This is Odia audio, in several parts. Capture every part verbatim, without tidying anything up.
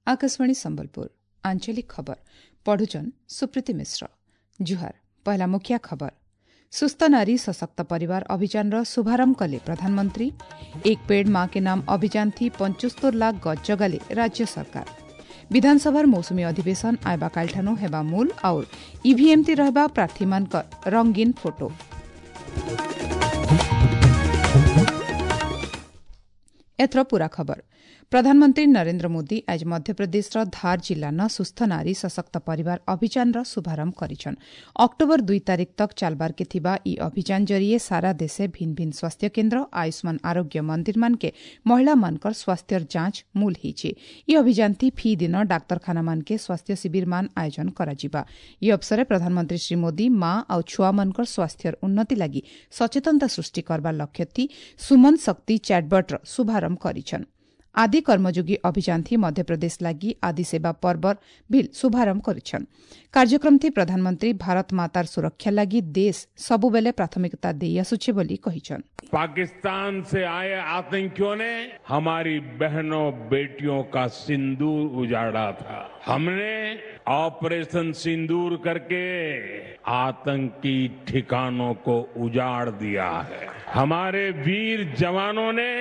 ଆକାଶବାଣୀ ସମ୍ବଲପୁର ଆଞ୍ଚଳିକ ଖବର ପଢୁଛନ୍ ସୁପ୍ରୀତି ମିଶ୍ର ଜୁହାର ପହଲା ମୁଖ୍ୟ ଖବର ସୁସ୍ଥ ନାରୀ ସଶକ୍ତ ପରିବାର ଅଭିଯାନର ଶୁଭାରମ୍ଭ କଲେ ପ୍ରଧାନମନ୍ତ୍ରୀ ଏକ ପେଡ଼ ମା କେ ନାମ ଅଭିଯାନ ଥି ପଞ୍ଚସ୍ତର ଲାଖ ଗଛ ଜଗାଲେ ରାଜ୍ୟ ସରକାର ବିଧାନସଭାର ମୌସୁମୀ ଅଧିବେଶନ ଆଇବା କାଲିଠାନୁ ହେବା ମୂଲ ଆଉ ଇଭିଏମ୍ ଥି ରହିବା ପ୍ରାର୍ଥୀମାନଙ୍କର ରଙ୍ଗୀନ ଫଟୋ ଏଥର ପୂରା ଖବର ପ୍ରଧାନମନ୍ତ୍ରୀ ନରେନ୍ଦ୍ର ମୋଦି ଆଜି ମଧ୍ୟପ୍ରଦେଶର ଧାର ଜିଲ୍ଲାନ ସୁସ୍ଥ ନାରୀ ସଶକ୍ତ ପରିବାର ଅଭିଯାନର ଶୁଭାରମ୍ଭ କରିଛନ୍ ଅକ୍ଟୋବର ଦୁଇ ତାରିଖ ତକ୍ ଚାଲବାରକେ ଥିବା ଇ ଅଭିଯାନ ଜରିଏ ସାରା ଦେଶେ ଭିନ୍ନ ଭିନ୍ନ ସ୍ୱାସ୍ଥ୍ୟ କେନ୍ଦ୍ର ଆୟୁଷ୍ମାନ ଆରୋଗ୍ୟ ମନ୍ଦିରମାନକେ ମହିଳାମାନଙ୍କର ସ୍ୱାସ୍ଥ୍ୟର ଯାଞ୍ଚ ମୂଲ ହେଇଛେ ଇ ଅଭିଯାନ ଥି ଫି ଦିନ ଡାକ୍ତରଖାନାମାନକେ ସ୍ୱାସ୍ଥ୍ୟ ଶିବିରମାନ ଆୟୋଜନ କରାଯିବା ଇ ଅବସରେ ପ୍ରଧାନମନ୍ତ୍ରୀ ଶ୍ରୀ ମୋଦି ମା ଆଉ ଛୁଆମାନଙ୍କର ସ୍ୱାସ୍ଥ୍ୟର ଉନ୍ନତି ଲାଗି ସଚେତନତା ସୃଷ୍ଟି କରବାର ଲକ୍ଷ୍ୟ ଥି ସୁମନ ଶକ୍ତି ଚାଟବଟ୍ର ଶୁଭାରମ୍ଭ କରିଛନ୍ ଆଦି କର୍ମଯୋଗୀ ଅଭିଯାନ ଥି ମଧ୍ୟପ୍ରଦେଶ ଲାଗି ଆଦି ସେବା ପର୍ବର ବିଲ୍ ଶୁଭାରମ୍ଭ କରିଛନ୍ କାର୍ଯ୍ୟକ୍ରମ ଥି ପ୍ରଧାନମନ୍ତ୍ରୀ ଭାରତ ମାତାର ସୁରକ୍ଷା ଲାଗି ଦେଶ ସବୁବେଲେ ପ୍ରାଥମିକତା ଦେଇ ଆସୁଛେ ବୋଲି କହିଛନ୍ पाकिस्तान से आए आतंकियों ने हमारी बहनों बेटियों का सिंदूर उजाड़ा था हमने ऑपरेशन सिंदूर करके आतंकी ठिकानों को उजाड़ दिया है हमारे वीर जवानों ने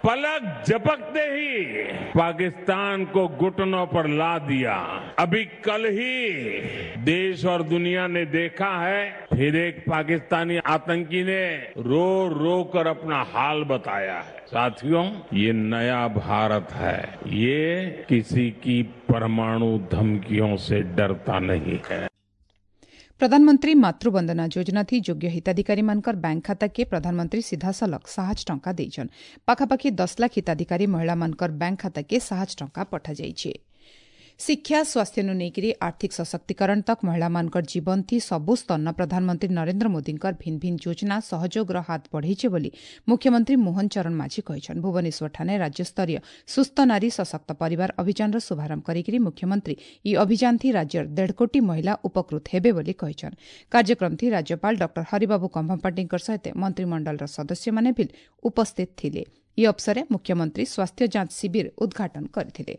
पलक झपकते ही पाकिस्तान को घुटनों पर ला दिया अभी कल ही देश और दुनिया ने देखा है फिर एक पाकिस्तानी आतंकी ने रो रो कर अपना हाल बताया है साथियों ये नया भारत है ये किसी की परमाणु धमकियों से डरता नहीं है ପ୍ରଧାନମନ୍ତ୍ରୀ ମାତୃବନ୍ଦନା ଯୋଜନା ଥି ଯୋଗ୍ୟ ହିତାଧିକାରୀମାନଙ୍କର ବ୍ୟାଙ୍କ ଖାତାକେ ପ୍ରଧାନମନ୍ତ୍ରୀ ସିଧାସଳଖ ସାହାଯ୍ୟ ଟଙ୍କା ଦେଇଛନ୍ ପାଖାପାଖି ଦଶ ଲାଖ ହିତାଧିକାରୀ ମହିଳାମାନଙ୍କର ବ୍ୟାଙ୍କ ଖାତାକେ ସାହାଯ୍ୟ ଟଙ୍କା ପଠାଯାଇଛି ଶିକ୍ଷା ସ୍ୱାସ୍ଥ୍ୟନୁ ନେଇକରି ଆର୍ଥିକ ସଶକ୍ତିକରଣ ତକ୍ ମହିଳାମାନଙ୍କର ଜୀବନ ଥି ସବୁ ସ୍ତରନ ପ୍ରଧାନମନ୍ତ୍ରୀ ନରେନ୍ଦ୍ର ମୋଦିଙ୍କର ଭିନ୍ନ ଭିନ୍ନ ଯୋଜନା ସହଯୋଗର ହାତ ବଢ଼େଇছে ବୋଲି ମୁଖ୍ୟମନ୍ତ୍ରୀ ମୋହନ ଚରଣ ମାଝୀ କହିଛନ୍ ଭୁବନେଶ୍ୱରଠାରେ ରାଜ୍ୟସ୍ତରୀୟ ସୁସ୍ଥ ନାରୀ ସଶକ୍ତ ପରିବାର ଅଭିଯାନର ଶୁଭାରମ୍ଭ କରିକରି ମୁଖ୍ୟମନ୍ତ୍ରୀ ଇ ଅଭିଯାନ ଥି ରାଜ୍ୟର ଦେଢ଼ କୋଟି ମହିଳା ଉପକୃତ ହେବେ ବୋଲି କହିଛନ୍ କାର୍ଯ୍ୟକ୍ରମ ଥି ରାଜ୍ୟପାଳ ଡକ୍ଟର ହରିବାବୁ କମ୍ଭମପାଟିଙ୍କ ସହିତ ମନ୍ତ୍ରିମଣ୍ଡଳର ସଦସ୍ୟମାନେ ବି ଉପସ୍ଥିତ ଥିଲେ ଇ ଅବସରେ ମୁଖ୍ୟମନ୍ତ୍ରୀ ସ୍ୱାସ୍ଥ୍ୟ ଯାଞ୍ଚ ଶିବିର ଉଦ୍ଘାଟନ କରିଥିଲେ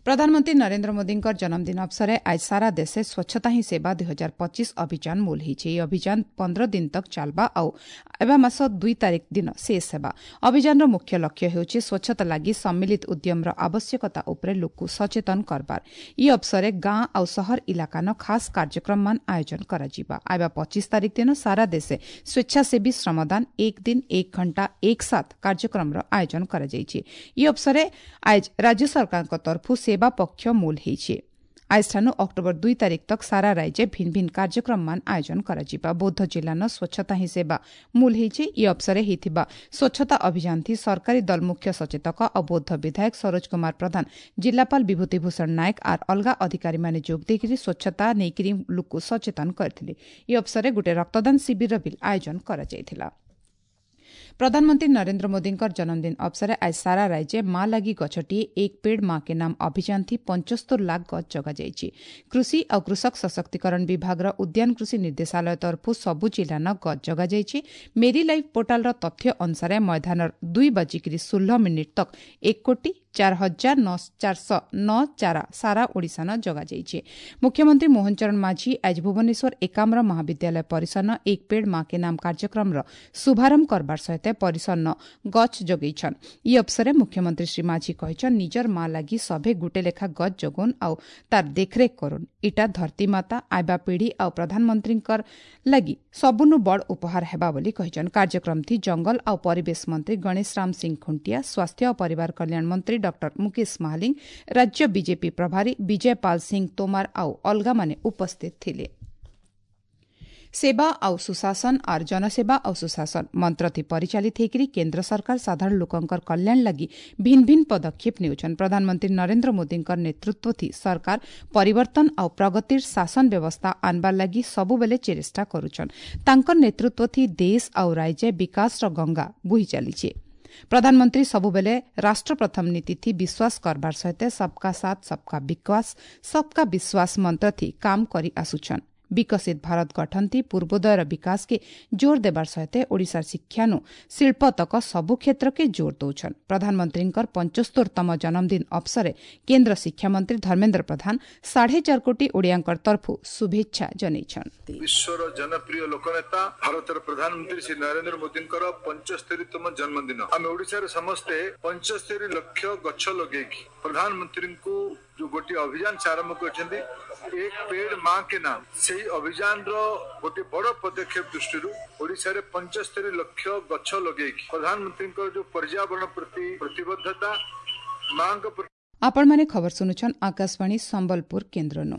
ପ୍ରଧାନମନ୍ତ୍ରୀ ନରେନ୍ଦ୍ର ମୋଦିଙ୍କର ଜନ୍ମଦିନ ଅବସରେ ଆଜି ସାରା ଦେଶେ ସ୍ୱଚ୍ଛତା ହିଁ ସେବା ଦୁଇ ହଜାର ପଚିଶ ଅଭିଯାନ ମୂଲ ହେଇଛି ଏହି ଅଭିଯାନ ପନ୍ଦର ଦିନ ତକ୍ ଚାଲବା ଆଉ ଏବା ମାସ ଦୁଇ ତାରିଖ ଦିନ ଶେଷ ହେବା ଅଭିଯାନର ମୁଖ୍ୟ ଲକ୍ଷ୍ୟ ହେଉଛି ସ୍ୱଚ୍ଛତା ଲାଗି ସମ୍ମିଳିତ ଉଦ୍ୟମର ଆବଶ୍ୟକତା ଉପରେ ଲୋକକୁ ସଚେତନ କରବାର ଇ ଅବସରେ ଗାଁ ଆଉ ସହର ଇଲାକାନ ଖାସ୍ କାର୍ଯ୍ୟକ୍ରମମାନ ଆୟୋଜନ କରାଯିବା ଆଇବା ପଚିଶ ତାରିଖ ଦିନ ସାରା ଦେଶେ ସ୍ୱେଚ୍ଛାସେବୀ ଶ୍ରମଦାନ ଏକ ଦିନ ଏକ ଘଣ୍ଟା ଏକ ସାଥ କାର୍ଯ୍ୟକ୍ରମର ଆୟୋଜନ କରାଯାଇଛି ଇ ଅବସରେ ଆଜ ରାଜ୍ୟ ସରକାରଙ୍କ ତରଫରୁ ସେବା ପକ୍ଷ ମୂଲ ହେଇଛି ଆଜିଠାନୁ ଅକ୍ଟୋବର ଦୁଇ ତାରିଖ ତକ୍ ସାରା ରାଜ୍ୟ ଭିନ୍ନ ଭିନ୍ନ କାର୍ଯ୍ୟକ୍ରମମାନ ଆୟୋଜନ କରାଯିବା ବୌଦ୍ଧ ଜିଲ୍ଲାନ ସ୍ୱଚ୍ଛତା ହିଁ ସେବା ମୂଲ ହେଇଛି ଇ ଅବସରେ ହେଇଥିବା ସ୍ୱଚ୍ଛତା ଅଭିଯାନ ଥି ସରକାରୀ ଦଳ ମୁଖ୍ୟ ସଚେତକ ଆଉ ବୌଦ୍ଧ ବିଧାୟକ ସରୋଜ କୁମାର ପ୍ରଧାନ ଜିଲ୍ଲାପାଳ ବିଭୂତି ଭୂଷଣ ନାୟକ ଆର୍ ଅଲଗା ଅଧିକାରୀମାନେ ଯୋଗ ଦେଇକରି ସ୍ୱଚ୍ଛତା ନେଇକରି ଲୋକକୁ ସଚେତନ କରିଥିଲେ ଇ ଅବସରେ ଗୋଟେ ରକ୍ତଦାନ ଶିବିରର ବି ଆୟୋଜନ କରାଯାଇଥିଲା ପ୍ରଧାନମନ୍ତ୍ରୀ ନରେନ୍ଦ୍ର ମୋଦିଙ୍କର ଜନ୍ମଦିନ ଅବସରେ ଆଜି ସାରା ରାଜ୍ୟ ମା ଲାଗି ଗଛଟିଏ ଏକ ପେଡ଼ ମା କେ ନାମ ଅଭିଯାନ ଥି ପଞ୍ଚସ୍ତର ଲାଖ ଗଛ ଜଗାଯାଇଛି କୃଷି ଆଉ କୃଷକ ସଶକ୍ତିକରଣ ବିଭାଗର ଉଦ୍ୟାନ କୃଷି ନିର୍ଦ୍ଦେଶାଳୟ ତରଫରୁ ସବୁ ଜିଲ୍ଲାନ ଗଛ ଜଗାଯାଇଛି ମେରି ଲାଇଫ୍ ପୋର୍ଟାଲର ତଥ୍ୟ ଅନୁସାରେ ମୈଦାନର ଦୁଇ ବାଜିକିରି ଷୋହଳ ମିନିଟ୍ ତକ୍ ଏକ କୋଟି ଚାର ହଜାର ନଅ ଚାରିଶହ ନଅ ଚାରା ସାରା ଓଡ଼ିଶାନ ଜଗାଯାଇଛି ମୁଖ୍ୟମନ୍ତ୍ରୀ ମୋହନ ଚରଣ ମାଝୀ ଆଜି ଭୁବନେଶ୍ୱର ଏକାମ୍ର ମହାବିଦ୍ୟାଳୟ ପରିସରନ ଏକ ପେଡ଼ ମା କେ ନାମ କାର୍ଯ୍ୟକ୍ରମର ଶୁଭାରମ୍ଭ କରବାର ସହିତ ପରିସରନ ଗଛ ଯୋଗେଇଛନ୍ ଇ ଅବସରେ ମୁଖ୍ୟମନ୍ତ୍ରୀ ଶ୍ରୀ ମାଝୀ କହିଛନ୍ ନିଜର ମା ଲାଗି ସଭେ ଗୁଟେ ଲେଖା ଗଛ ଯୋଗୁନ୍ ଆଉ ତାର ଦେଖରେଖ କରୁନ୍ ଇଟା ଧରତୀ ମାତା ଆଇବା ପିଢ଼ି ଆଉ ପ୍ରଧାନମନ୍ତ୍ରୀଙ୍କର ଲାଗି ସବୁନୁ ବଡ଼ ଉପହାର ହେବା ବୋଲି କହିଛନ୍ କାର୍ଯ୍ୟକ୍ରମ ଥି ଜଙ୍ଗଲ ଆଉ ପରିବେଶ ମନ୍ତ୍ରୀ ଗଣେଶ ରାମ ସିଂ ଖୁଣ୍ଟିଆ ସ୍ୱାସ୍ଥ୍ୟ ଓ ପରିବାର କଲ୍ୟାଣ ମନ୍ତ୍ରୀ ଡକ୍ଟର ମୁକେଶ ମହାଲିଙ୍ଗ ରାଜ୍ୟ ବିଜେପି ପ୍ରଭାରୀ ବିଜୟ ପାଲ ସିଂ ତୋମାର ଆଉ ଅଲଗାମାନେ ଉପସ୍ଥିତ ଥିଲେ ସେବା ଆଉ ସୁଶାସନ ଆର୍ ଜନସେବା ଆଉ ସୁଶାସନ ମନ୍ତ୍ର ଥି ପରିଚାଳିତ ହେଇକରି କେନ୍ଦ୍ର ସରକାର ସାଧାରଣ ଲୋକଙ୍କର କଲ୍ୟାଣ ଲାଗି ଭିନ୍ନ ଭିନ୍ନ ପଦକ୍ଷେପ ନେଉଛନ୍ ପ୍ରଧାନମନ୍ତ୍ରୀ ନରେନ୍ଦ୍ର ମୋଦିଙ୍କର ନେତୃତ୍ୱ ଥି ସରକାର ପରିବର୍ତ୍ତନ ଆଉ ପ୍ରଗତିର ଶାସନ ବ୍ୟବସ୍ଥା ଆନବାର ଲାଗି ସବୁବେଲେ ଚେଷ୍ଟା କରୁଛନ୍ ତାଙ୍କର ନେତୃତ୍ୱ ଥି ଦେଶ ଆଉ ରାଜ୍ୟ ବିକାଶର ଗଙ୍ଗା ବୋହି ଚାଲିছে ପ୍ରଧାନମନ୍ତ୍ରୀ ସବୁବେଲେ ରାଷ୍ଟ୍ର ପ୍ରଥମ ନୀତି ଥି ବିଶ୍ୱାସ କରବାର ସହିତ ସବକା ସାଥ ସବକା ବିକାଶ ସବକା ବିଶ୍ୱାସ ମନ୍ତ୍ର ଥି କାମ କରି ଆସୁଛନ୍ ବିକଶିତ ଭାରତ ଗଠନଥି ପୂର୍ବୋଦୟର ବିକାଶକେ ଜୋର ଦେବାର ସହିତ ଓଡ଼ିଶାର ଶିକ୍ଷାନୁ ଶିଳ୍ପ ତକ ସବୁ କ୍ଷେତ୍ରକେ ଜୋର ଦଉଛନ୍। ପ୍ରଧାନମନ୍ତ୍ରୀଙ୍କର ପଞ୍ଚସ୍ତରତମ ଜନ୍ମଦିନ ଅବସରେ କେନ୍ଦ୍ର ଶିକ୍ଷାମନ୍ତ୍ରୀ ଧର୍ମେନ୍ଦ୍ର ପ୍ରଧାନ ସାଢ଼େ ଚାରି କୋଟି ଓଡ଼ିଆଙ୍କର ତରଫୁ ଶୁଭେଚ୍ଛା ଜଣାଇଛନ୍। ବିଶ୍ୱର ଜନପ୍ରିୟ ଲୋକନେତା ଭାରତର ପ୍ରଧାନମନ୍ତ୍ରୀ ଶ୍ରୀ ନରେନ୍ଦ୍ର ମୋଦୀଙ୍କର ପଞ୍ଚସ୍ତରୀତମ ଜନ୍ମଦିନ। ଆମେ ଓଡ଼ିଶାରେ ସମସ୍ତେ ପଞ୍ଚସ୍ତରୀ ଲକ୍ଷ ଗଛ ଲଗେଇକି ପ୍ରଧାନମନ୍ତ୍ରୀଙ୍କୁ ଯୋଉ ଗୋଟିଏ ଅଭିଯାନ ସେ ଆରମ୍ଭ କରିଛନ୍ତି, ଏକ ପେଡ୍ ମା କେ ନାମ, ସେଇ ଅଭିଯାନର ଗୋଟିଏ ବଡ ପଦକ୍ଷେପ ଦୃଷ୍ଟିରୁ ଓଡ଼ିଶାରେ ପଞ୍ଚସ୍ତରୀ ଲକ୍ଷ ଗଛ ଲଗେଇକି ପ୍ରଧାନମନ୍ତ୍ରୀଙ୍କର ଯୋଉ ପର୍ଯ୍ୟାବରଣ ପ୍ରତି ପ୍ରତିବଦ୍ଧତା, ମାଙ୍କ ପ୍ରତି। ଆପଣମାନେ ଖବର ଶୁଣୁଛନ୍ ଆକାଶବାଣୀ ସମ୍ବଲପୁର କେନ୍ଦ୍ରନୁ।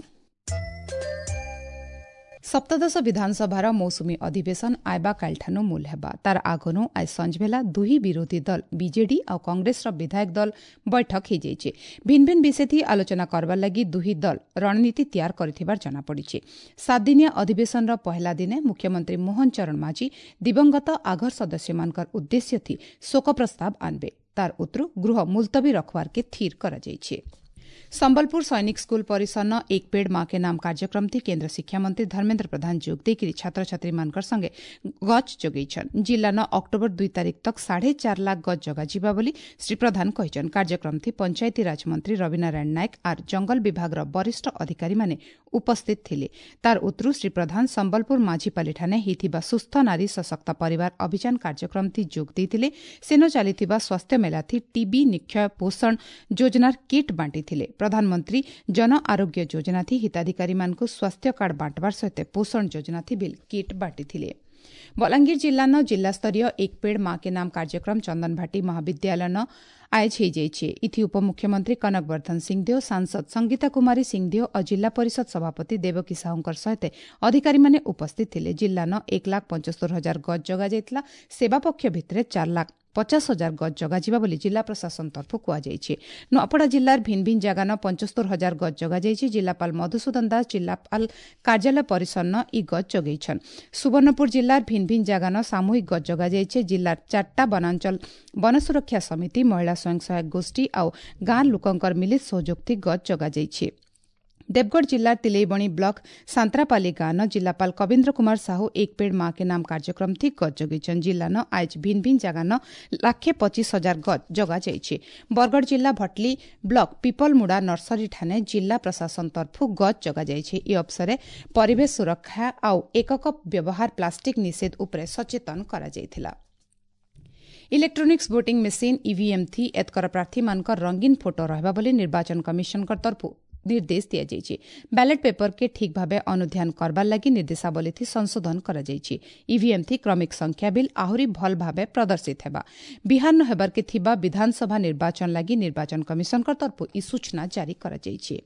ସପ୍ତଦଶ ବିଧାନସଭାର ମୌସୁମୀ ଅଧିବେଶନ ଆଇବା କାଲିଠାନୁ ମୂଲ ହେବା। ତାର ଆଗନୁ ଆଜ ସଞ୍ଜବେଲା ଦୁହି ବିରୋଧୀ ଦଳ ବିଜେଡି ଆଉ କଂଗ୍ରେସର ବିଧାୟକ ଦଳ ବୈଠକ ହୋଇଯାଇଛି। ଭିନ୍ନ ଭିନ୍ନ ବିଷୟଥି ଆଲୋଚନା କରବାର ଲାଗି ଦୁହି ଦଳ ରଣନୀତି ତିଆର କରିଥିବାର ଜଣାପଡ଼ିଛି। ସାତଦିନିଆ ଅଧିବେଶନର ପହଲା ଦିନେ ମୁଖ୍ୟମନ୍ତ୍ରୀ ମୋହନ ଚରଣ ମାଝୀ ଦିବଂଗତ ଆଘର ସଦସ୍ୟମାନଙ୍କର ଉଦ୍ଦେଶ୍ୟଥି ଶୋକ ପ୍ରସ୍ତାବ ଆନବେ। ତାର ଉତ୍ତରୁ ଗୃହ ମୁଲତବୀ ରଖବାରକେ ସ୍ଥିର କରାଯାଇଛି। ସମ୍ବଲପୁର ସୈନିକ ସ୍କୁଲ ପରିସରନ ଏକ ପେଡ୍ ମା କେ ନାମ କାର୍ଯ୍ୟକ୍ରମ ଥି କେନ୍ଦ୍ର ଶିକ୍ଷାମନ୍ତ୍ରୀ ଧର୍ମେନ୍ଦ୍ର ପ୍ରଧାନ ଯୋଗ ଦେଇକରି ଛାତ୍ରଛାତ୍ରୀମାନଙ୍କର ସଙ୍ଗେ ଗଛ ଯୋଗେଇଛନ୍। ଜିଲ୍ଲାନ ଅକ୍ଟୋବର ଦୁଇ ତାରିଖ ତକ ସାଢ଼େ ଚାରି ଲାଖ ଗଛ ଜଗାଯିବା ବୋଲି ଶ୍ରୀ ପ୍ରଧାନ କହିଛନ୍। କାର୍ଯ୍ୟକ୍ରମ ଥି ପଞ୍ଚାୟତିରାଜ ମନ୍ତ୍ରୀ ରବିନାରାୟଣ ନାୟକ ଆର୍ ଜଙ୍ଗଲ ବିଭାଗର ବରିଷ୍ଠ ଅଧିକାରୀମାନେ ଉପସ୍ଥିତ ଥିଲେ। ତାର ଉତ୍ତରୁ ଶ୍ରୀ ପ୍ରଧାନ ସମ୍ବଲପୁର ମାଝିପାଲିଠାନେ ହେଇଥିବା ସୁସ୍ଥ ନାରୀ ସଶକ୍ତ ପରିବାର ଅଭିଯାନ କାର୍ଯ୍ୟକ୍ରମ ଥି ଯୋଗ ଦେଇଥିଲେ। ସେନ ଚାଲିଥିବା ସ୍ୱାସ୍ଥ୍ୟ ମେଳା ଥି ଟିବି ନିକ୍ଷୟ ପୋଷଣ ଯୋଜନାର କିଟ୍ ବାଣ୍ଟିଥିଲେ। ପ୍ରଧାନମନ୍ତ୍ରୀ ଜନ ଆରୋଗ୍ୟ ଯୋଜନା ଥି ହିତାଧିକାରୀମାନଙ୍କୁ ସ୍ୱାସ୍ଥ୍ୟ କାର୍ଡ ବାଣ୍ଟବାର ସହିତ ପୋଷଣ ଯୋଜନା ଥି ବିଲ୍ କିଟ୍ ବାଣ୍ଟିଥିଲେ। ବଲାଙ୍ଗୀର ଜିଲ୍ଲାନ ଜିଲ୍ଲାସ୍ତରୀୟ ଏକ ପେଡ୍ ମା କେ ନାମ କାର୍ଯ୍ୟକ୍ରମ ଚନ୍ଦନଭାଟି ମହାବିଦ୍ୟାଳୟନ ଆୟୋଜ ହୋଇଯାଇଛି। ଇଥି ଉପମୁଖ୍ୟମନ୍ତ୍ରୀ କନକ ବର୍ଦ୍ଧନ ସିଂଦେଓ, ସାଂସଦ ସଂଗୀତା କୁମାରୀ ସିଂଦେଓ ଓ ଜିଲ୍ଲା ପରିଷଦ ସଭାପତି ଦେବକୀ ସାହୁଙ୍କ ସହିତ ଅଧିକାରୀମାନେ ଉପସ୍ଥିତ ଥିଲେ। ଜିଲ୍ଲାନ ଏକ ଲାଖ ପଞ୍ଚସ୍ତରୀ ହଜାର ଗଛ ଜଗାଯାଇଥିଲା। ସେବା ପକ୍ଷ ଭିତରେ ଚାରି ଲାଖ ପଚାଶ ହଜାର ଗଛ ଜଗାଯିବା ବୋଲି ଜିଲ୍ଲା ପ୍ରଶାସନ ତରଫରୁ କୁହାଯାଇଛି। ନୂଆପଡ଼ା ଜିଲ୍ଲାର ଭିନ୍ନ ଭିନ୍ନ ଜାଗାନ ପଞ୍ଚସ୍ତରୀ ହଜାର ଗଛ ଜଗାଯାଇଛି। ଜିଲ୍ଲାପାଳ ମଧୁସୂଦନ ଦାସ ଜିଲ୍ଲାପାଳ କାର୍ଯ୍ୟାଳୟ ପରିସରନ ଇ ଗଛ ଜଗେଇଛନ୍। ସୁବର୍ଣ୍ଣପୁର ଜିଲ୍ଲାର ଭିନ୍ନ ଭିନ୍ନ ଜାଗାନ ସାମୂହିକ ଗଛ ଜଗାଯାଇଛି। ଜିଲ୍ଲାର ଚାରିଟା ବନାଞ୍ଚଳ ବନ ସୁରକ୍ଷା ସମିତି, ମହିଳା ସ୍ୱୟଂ ସହାୟକ ଗୋଷ୍ଠୀ ଆଉ ଗାଁ ଲୋକଙ୍କର ମିଳିତ ସହଯୋଗ ଗଛ ଜଗାଯାଇଛି। ଦେବଗଡ଼ ଜିଲ୍ଲାର ତିଲେଇବଣି ବ୍ଲକ ସାନ୍ତ୍ରାପାଲି ଗାଁନ ଜିଲ୍ଲାପାଳ କବୀନ୍ଦ୍ର କୁମାର ସାହୁ ଏକ ପେଡ୍ ମା କେ ନାମ କାର୍ଯ୍ୟକ୍ରମ ଥି ଗଛ ଜଗେଇଛନ୍। ଜିଲ୍ଲାନ ଆଜ ଭିନ୍ନ ଭିନ୍ନ ଜାଗାନ ଲାଖେ ପଚିଶ ହଜାର ଗଛ ଜଗାଯାଇଛି। ବରଗଡ଼ ଜିଲ୍ଲା ଭଟଲି ବ୍ଲକ ପିପଲମୁଡା ନର୍ସରୀ ଠାନେ ଜିଲ୍ଲା ପ୍ରଶାସନ ତରଫୁ ଗଛ ଜଗାଯାଇଛି। ଏ ଅବସରେ ପରିବେଶ ସୁରକ୍ଷା ଆଉ ଏକକ ବ୍ୟବହାର ପ୍ଲାଷ୍ଟିକ ନିଷେଧ ଉପରେ ସଚେତନ କରାଯାଇଥିଲା। ଇଲେକ୍ଟ୍ରୋନିକ୍ସ ଭୋଟିଂ ମେସିନ୍ ଇଭିଏମ୍ ଥି ଏତକର ପ୍ରାର୍ଥୀମାନଙ୍କର ରଙ୍ଗୀନ ଫଟୋ ରହିବା ବୋଲି ନିର୍ବାଚନ କମିଶନଙ୍କ ତରଫୁ ନିର୍ଦ୍ଦେଶ ଦିଆଯାଇଛି। ବ୍ୟାଲେଟ୍ ପେପରକେ ଠିକ୍ ଭାବେ ଅନୁଧ୍ୟାନ କରବାର ଲାଗି ନିର୍ଦ୍ଦେଶାବଳୀ ଥି ସଂଶୋଧନ କରାଯାଇଛି। ଇଭିଏମ୍ ଥି କ୍ରମିକ ସଂଖ୍ୟା ବିଲ୍ ଆହୁରି ଭଲ ଭାବେ ପ୍ରଦର୍ଶିତ ହେବା। ବିହାରନ ହେବାରକେ ଥିବା ବିଧାନସଭା ନିର୍ବାଚନ ଲାଗି ନିର୍ବାଚନ କମିଶନଙ୍କ ତରଫୁ ଇ ସୂଚନା ଜାରି କରାଯାଇଛି।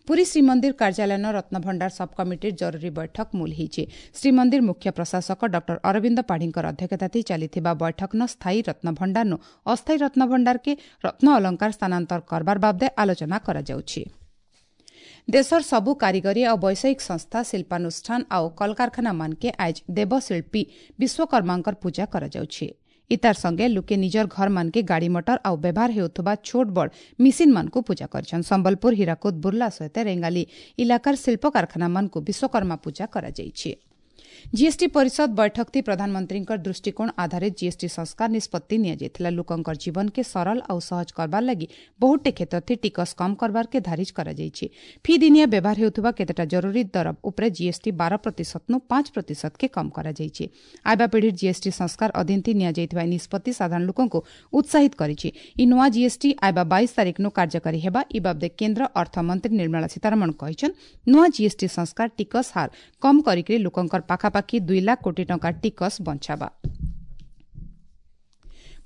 ପୁରୀ ଶ୍ରୀମନ୍ଦିର କାର୍ଯ୍ୟାଳୟର ରତ୍ନଭଣ୍ଡାର ସବ୍ କମିଟିର ଜରୁରୀ ବୈଠକ ମୂଲ ହୋଇଛି। ଶ୍ରୀମନ୍ଦିର ମୁଖ୍ୟ ପ୍ରଶାସକ ଡକ୍ଟର ଅରବିନ୍ଦ ପାଢ଼ୀଙ୍କର ଅଧ୍ୟକ୍ଷତାରେ ଚାଲିଥିବା ବୈଠକନ ସ୍ଥାୟୀ ରତ୍ନଭଣ୍ଡାରନୁ ଅସ୍ଥାୟୀ ରତ୍ନଭଣ୍ଡାରକେ ରତ୍ନ ଅଳଙ୍କାର ସ୍ଥାନାନ୍ତର କରବାର ବାବଦେ ଆଲୋଚନା କରାଯାଉଛି। ଦେଶର ସବୁ କାରିଗରୀ ଆଉ ବୈଷୟିକ ସଂସ୍ଥା, ଶିଳ୍ପାନୁଷ୍ଠାନ ଆଉ କଳକାରଖାନାମାନକେ ଆଜ ଦେବଶିଳ୍ପୀ ବିଶ୍ୱକର୍ମାଙ୍କର ପୂଜା କରାଯାଉଛି। ଇତାର ସଙ୍ଗେ ଲୁକେ ନିଜର ଘରମାନକେ ଗାଡ଼ି ମଟର ଆଉ ବ୍ୟବହାର ହେଉଥିବା ଛୋଟ ବଡ଼ ମିସିନ୍ମାନଙ୍କୁ ପୂଜା କରିଛନ୍। ସମ୍ବଲପୁର, ହୀରାକୁଦ, ବୁର୍ଲା ସହିତ ରେଙ୍ଗାଲି ଇଲାକାର ଶିଳ୍ପ କାରଖାନାମାନଙ୍କୁ ବିଶ୍ୱକର୍ମା ପୂଜା କରାଯାଇଛି। ଜିଏସ୍ଟି ପରିଷଦ ବୈଠକଥି ପ୍ରଧାନମନ୍ତ୍ରୀଙ୍କର ଦୃଷ୍ଟିକୋଣ ଆଧାରିତ ଜିଏସ୍ଟି ସଂସ୍କାର ନିଷ୍ପତ୍ତି ନିଆଯାଇଥିଲା। ଲୋକଙ୍କର ଜୀବନକେ ସରଳ ଆଉ ସହଜ କରବାର ଲାଗି ବହୁତଟେ କ୍ଷେତ୍ରଥି ଟିକସ କମ୍ କରବାରକେ ଧାରିଜ କରାଯାଇଛି। ଫି ଦିନିଆ ବ୍ୟବହାର ହେଉଥିବା କେତେଟା ଜରୁରୀ ଦର ଉପରେ ଜିଏସ୍ଟି ବାର ପ୍ରତିଶତନୁ ପାଞ୍ଚ ପ୍ରତିଶତକେ କମ୍ କରାଯାଇଛି। ଆଇବା ପିଢ଼ିର ଜିଏସ୍ଟି ସଂସ୍କାର ଅଧୀନଥି ନିଆଯାଇଥିବା ଏହି ନିଷ୍ପତ୍ତି ସାଧାରଣ ଲୋକଙ୍କୁ ଉତ୍ସାହିତ କରିଛି। ଇ ନୂଆ ଜିଏସ୍ଟି ଆଇବା ବାଇଶ ତାରିଖନୁ କାର୍ଯ୍ୟକାରୀ ହେବା। ଇ ବାବଦେ କେନ୍ଦ୍ର ଅର୍ଥମନ୍ତ୍ରୀ ନିର୍ମଳା ସୀତାରମଣ କହିଛନ୍, ନୂଆ ଜିଏସ୍ଟି ସଂସ୍କାର ଟିକସ ହାର କମ୍ କରିକି ଲୋକଙ୍କର ପାଖାପାଖି ଦୁଇ ଲାଖ କୋଟି ଟଙ୍କା ଟିକସ ବଞ୍ଚାବା।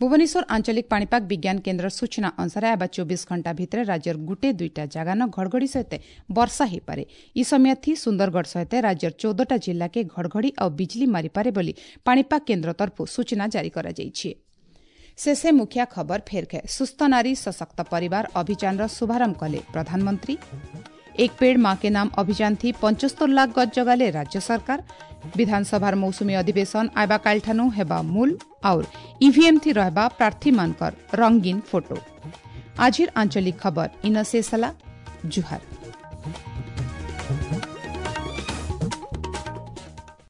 ଭୁବନେଶ୍ୱର ଆଞ୍ଚଳିକ ପାଣିପାଗ ବିଜ୍ଞାନ କେନ୍ଦ୍ର ସୂଚନା ଅନୁସାରେ ଆଇବା ଚବିଶ ଘଣ୍ଟା ଭିତରେ ରାଜ୍ୟର ଗୁଟେ ଦୁଇଟା ଜାଗାନ ଘଡ଼ଘଡ଼ି ସହିତ ବର୍ଷା ହୋଇପାରେ। ଇ ସମୟଥି ସୁନ୍ଦରଗଡ଼ ସହିତ ରାଜ୍ୟର ଚଉଦଟା ଜିଲ୍ଲାକେ ଘଡ଼ଘଡ଼ି ଆଉ ବିଜଲି ମାରିପାରେ ବୋଲି ପାଣିପାଗ କେନ୍ଦ୍ର ତରଫରୁ ସୂଚନା ଜାରି କରାଯାଇଛି। ଶେଷେ ମୁଖିଆ ଖବର ଫେର ସୁସ୍ଥ ନାରୀ ସଶକ୍ତ ପରିବାର ଅଭିଯାନର ଶୁଭାରମ୍ଭ କଲେ ପ୍ରଧାନମନ୍ତ୍ରୀ। एक पेड़ मां के नाम अभियान थी पंचस्तर लाख गज जगाले राज्य सरकार। विधानसभार मौसुमी अधिवेशन आबा कालठानु हेबा मूल और ईवीएम थी रहबा प्रार्थी मानकर रंगीन फोटो। आजिर आंचलिक खबर इन शेष हला। जुहार।